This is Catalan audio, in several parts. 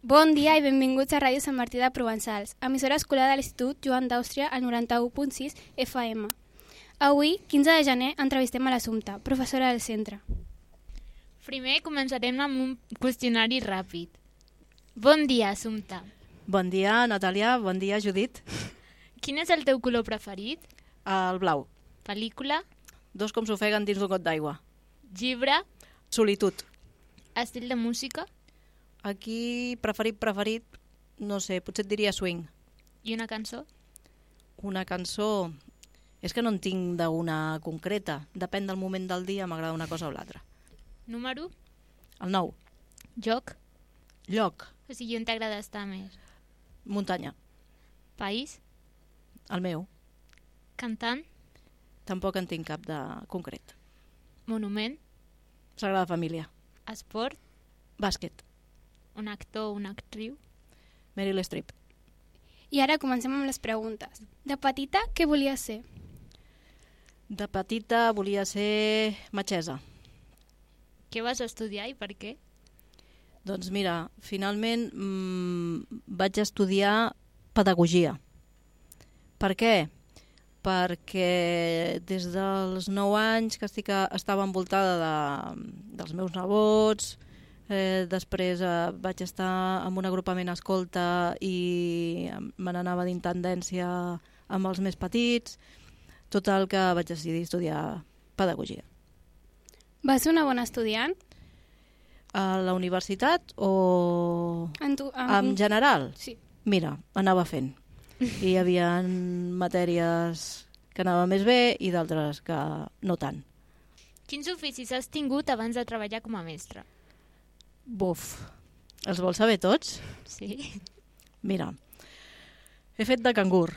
Bon dia i benvinguts a Ràdio Sant Martí de Provençals, emissora escolar de l'Institut Joan d'Àustria al 91.6 FM. Avui, 15 de gener, entrevistem a l'Assumpta, professora del centre. Primer començarem amb un qüestionari ràpid. Bon dia, Assumpta. Bon dia, Natàlia. Bon dia, Judit. Quin és el teu color preferit? El blau. Pel·lícula? Dos com s'ofeguen dins d'un got d'aigua. Llibre? Solitud. Estil de música? Aquí, preferit, no sé, potser et diria swing. I una cançó? Una cançó... És que no en tinc d'una concreta. Depèn del moment del dia, m'agrada una cosa o l'altra. Número? El 9. Joc? Lloc. O sigui, on t'agrada estar més? Muntanya. País? El meu. Cantant? Tampoc en tinc cap de concret. Monument? Sagrada Família. Esport? Bàsquet. Un actor o una actriu? Meryl Streep. I ara comencem amb les preguntes. De petita, què volies ser? De petita volia ser metgessa. Què vas estudiar i per què? Doncs mira, finalment vaig estudiar pedagogia. Per què? Perquè des dels 9 anys que estava envoltada dels meus nebots, després vaig estar en un agrupament escolta i me n'anava d'intendència amb els més petits, total que vaig decidir estudiar pedagogia. Vas ser una bona estudiant? A la universitat o en general? Sí. Mira, anava fent. I hi havia matèries que anava més bé i d'altres que no tant. Quins oficis has tingut abans de treballar com a mestra? Buf, els vols saber tots? Sí. Mira, he fet de cangur.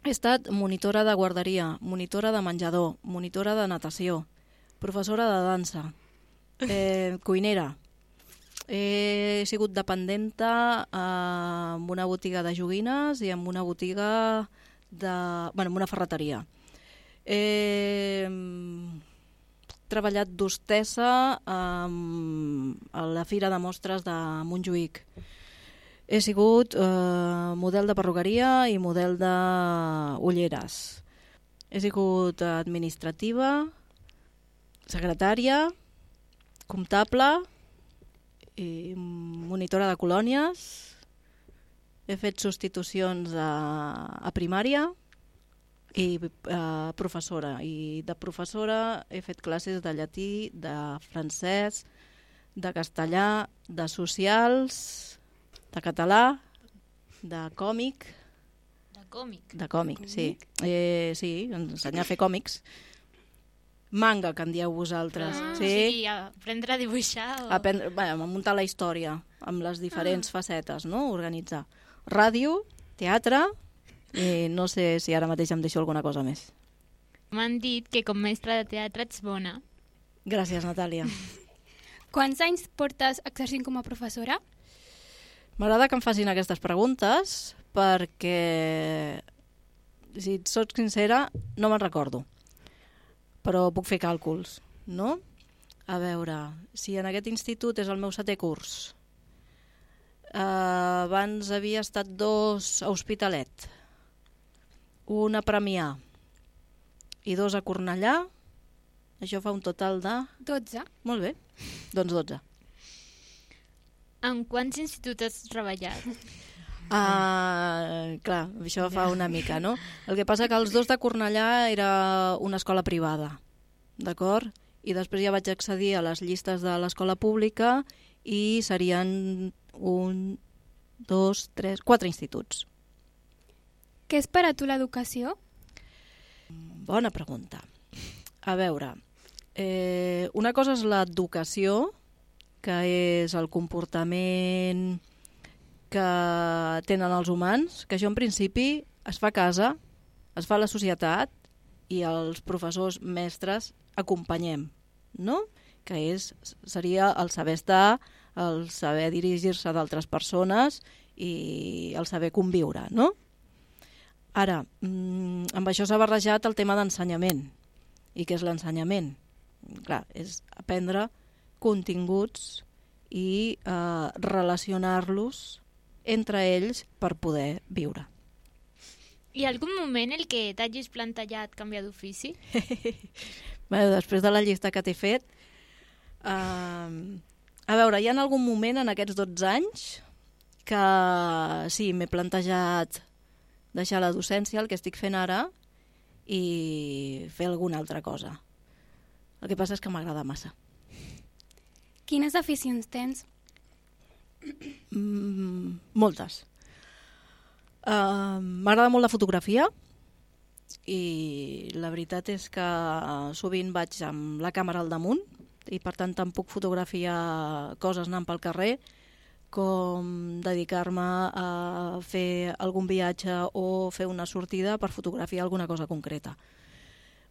He estat monitora de guarderia, monitora de menjador, monitora de natació, professora de dansa, cuinera. He sigut dependenta en una botiga de joguines i en una botiga en una ferreteria. He treballat d'hostessa a la Fira de Mostres de Montjuïc. He sigut model de perruqueria i model d'ulleres. He sigut administrativa, secretària, comptable i monitora de colònies. He fet substitucions a primària i professora. I de professora he fet classes de llatí, de francès, de castellà, de socials, de català, de còmic. De còmic? De còmic, sí. Sí, ensenyar a fer còmics. Manga, que en dieu vosaltres. Sí? O sigui, aprendre a dibuixar o... A muntar la història amb les diferents facetes, no? Organitzar. Ràdio, teatre, i no sé si ara mateix em deixo alguna cosa més. M'han dit que com mestra de teatre ets bona. Gràcies, Natàlia. Quants anys portes exercint com a professora? M'agrada que em facin aquestes preguntes perquè, si et soc sincera, no me'n recordo. Però puc fer càlculs, no? A veure, si en aquest institut és el meu 7è curs, abans havia estat 2 a Hospitalet, un a Premià i 2 a Cornellà, això fa un total de... 12. Molt bé, doncs 12. En quants instituts has treballat? Clar, això fa una mica, no? El que passa que els 2 de Cornellà era una escola privada, d'acord? I després ja vaig accedir a les llistes de l'escola pública i serien 1, 2, 3, 4 instituts. Què és per a tu l'educació? Bona pregunta. A veure, una cosa és l'educació, que és el comportament que tenen els humans, que això en principi es fa a casa, es fa a la societat i els professors mestres acompanyem, no? Que seria el saber estar, el saber dirigir-se d'altres persones i el saber conviure, no? Ara, amb això s'ha barrejat el tema d'ensenyament. I què és l'ensenyament? Clar, és aprendre continguts i relacionar-los entre ells per poder viure. Hi ha algun moment en què t'hagis plantejat canviar d'ofici? Bé, després de la llista que t'he fet, a veure, hi ha algun moment en aquests 12 anys que sí, m'he plantejat deixar la docència, el que estic fent ara, i fer alguna altra cosa. El que passa és que m'agrada massa. Quines aficions tens? Moltes. M'agrada molt la fotografia i la veritat és que sovint vaig amb la càmera al damunt i per tant tant puc fotografiar coses anant pel carrer com dedicar-me a fer algun viatge o fer una sortida per fotografiar alguna cosa concreta.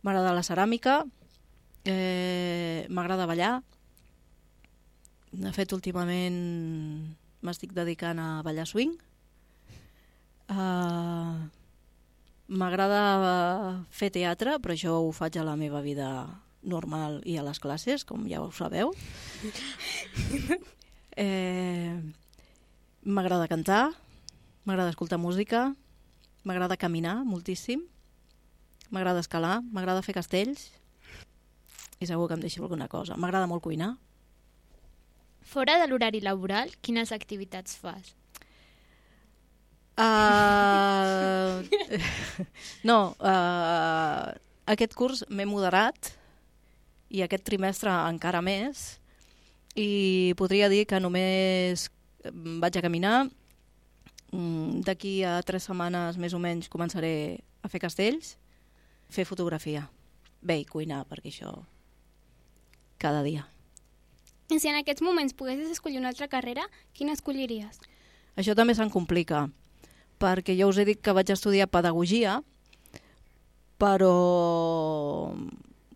M'agrada la ceràmica, m'agrada ballar. De fet, últimament m'estic dedicant a ballar swing. M'agrada fer teatre, però això ho faig a la meva vida normal i a les classes, com ja ho sabeu. M'agrada cantar, m'agrada escoltar música, m'agrada caminar moltíssim, m'agrada escalar, m'agrada fer castells i segur que em deixo alguna cosa. M'agrada molt cuinar. Fora de l'horari laboral, quines activitats fas? Aquest curs m'he moderat i aquest trimestre encara més i podria dir que només vaig a caminar. D'aquí a 3 setmanes més o menys començaré a fer castells, fer fotografia, bé, i cuinar, perquè això cada dia. I si en aquests moments poguessis escollir una altra carrera, quina escolliries? Això també se'n complica, perquè ja us he dit que vaig estudiar pedagogia, però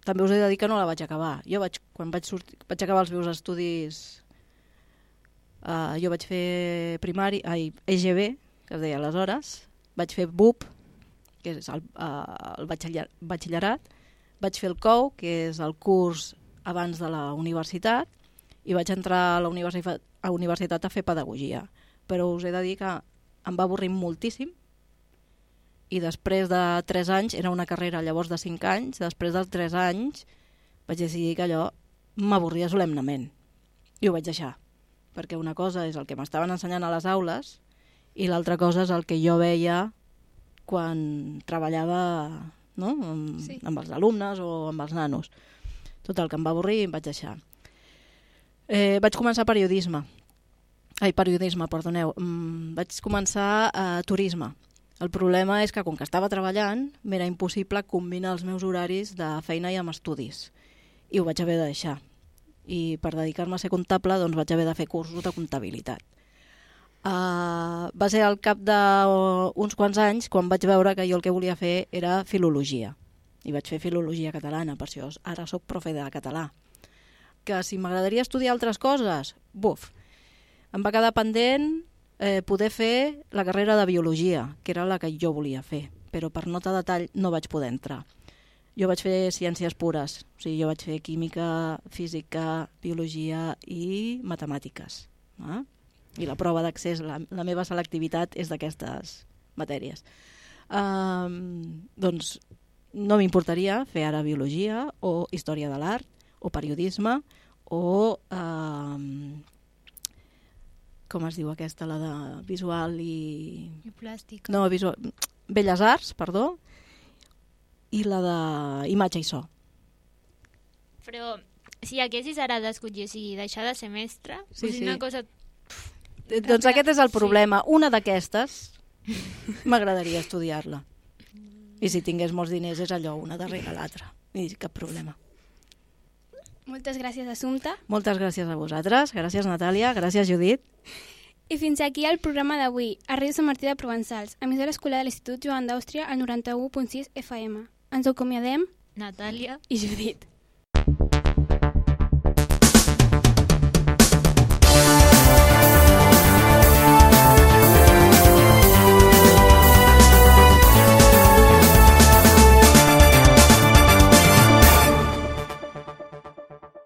també us he de dir que no la vaig acabar. Quan vaig acabar els meus estudis, jo vaig fer EGB, que es deia aleshores, vaig fer BUP, que és el batxillerat, vaig fer el COU, que és el curs abans de la universitat, i vaig entrar a la universitat a fer pedagogia. Però us he de dir que em va avorrir moltíssim i després de 3 anys, era una carrera llavors de 5 anys, després dels 3 anys vaig decidir que allò m'avorria solemnement i ho vaig deixar, perquè una cosa és el que m'estaven ensenyant a les aules i l'altra cosa és el que jo veia quan treballava, no? Amb els alumnes o amb els nanos. Tot el que em va avorrir em vaig deixar. Vaig començar periodisme, perdoneu. Vaig començar turisme. El problema és que com que estava treballant m'era impossible combinar els meus horaris de feina i amb estudis i ho vaig haver de deixar. I per dedicar-me a ser comptable doncs vaig haver de fer cursos de comptabilitat. Va ser al cap d'uns quants anys quan vaig veure que jo el que volia fer era filologia. I vaig fer filologia catalana, per això ara soc profe de català. Que si m'agradaria estudiar altres coses, em va quedar pendent poder fer la carrera de biologia, que era la que jo volia fer, però per nota de tall no vaig poder entrar. Jo vaig fer ciències pures, o sigui, jo vaig fer química, física, biologia i matemàtiques. I la prova d'accés, la meva selectivitat és d'aquestes matèries. Doncs no m'importaria fer ara biologia o història de l'art o periodisme o com es diu aquesta, la de visual i... plàstica. No, Belles Arts, perdó, i la de imatge i so. Però si haguessis ara d'escollir, o sigui, deixar de ser mestre, una cosa... Doncs aquest és el problema. Una d'aquestes m'agradaria estudiar-la. I si tingués molts diners és allò, una darrere l'altra. I cap problema. Moltes gràcies, Assumpta. Moltes gràcies a vosaltres. Gràcies, Natàlia. Gràcies, Judit. I fins aquí el programa d'avui, a Ràdio Sant Martí de Provençals, emissora escolar de l'Institut Joan d'Àustria al 91.6 FM. Ens acomiadem Natàlia i Judit.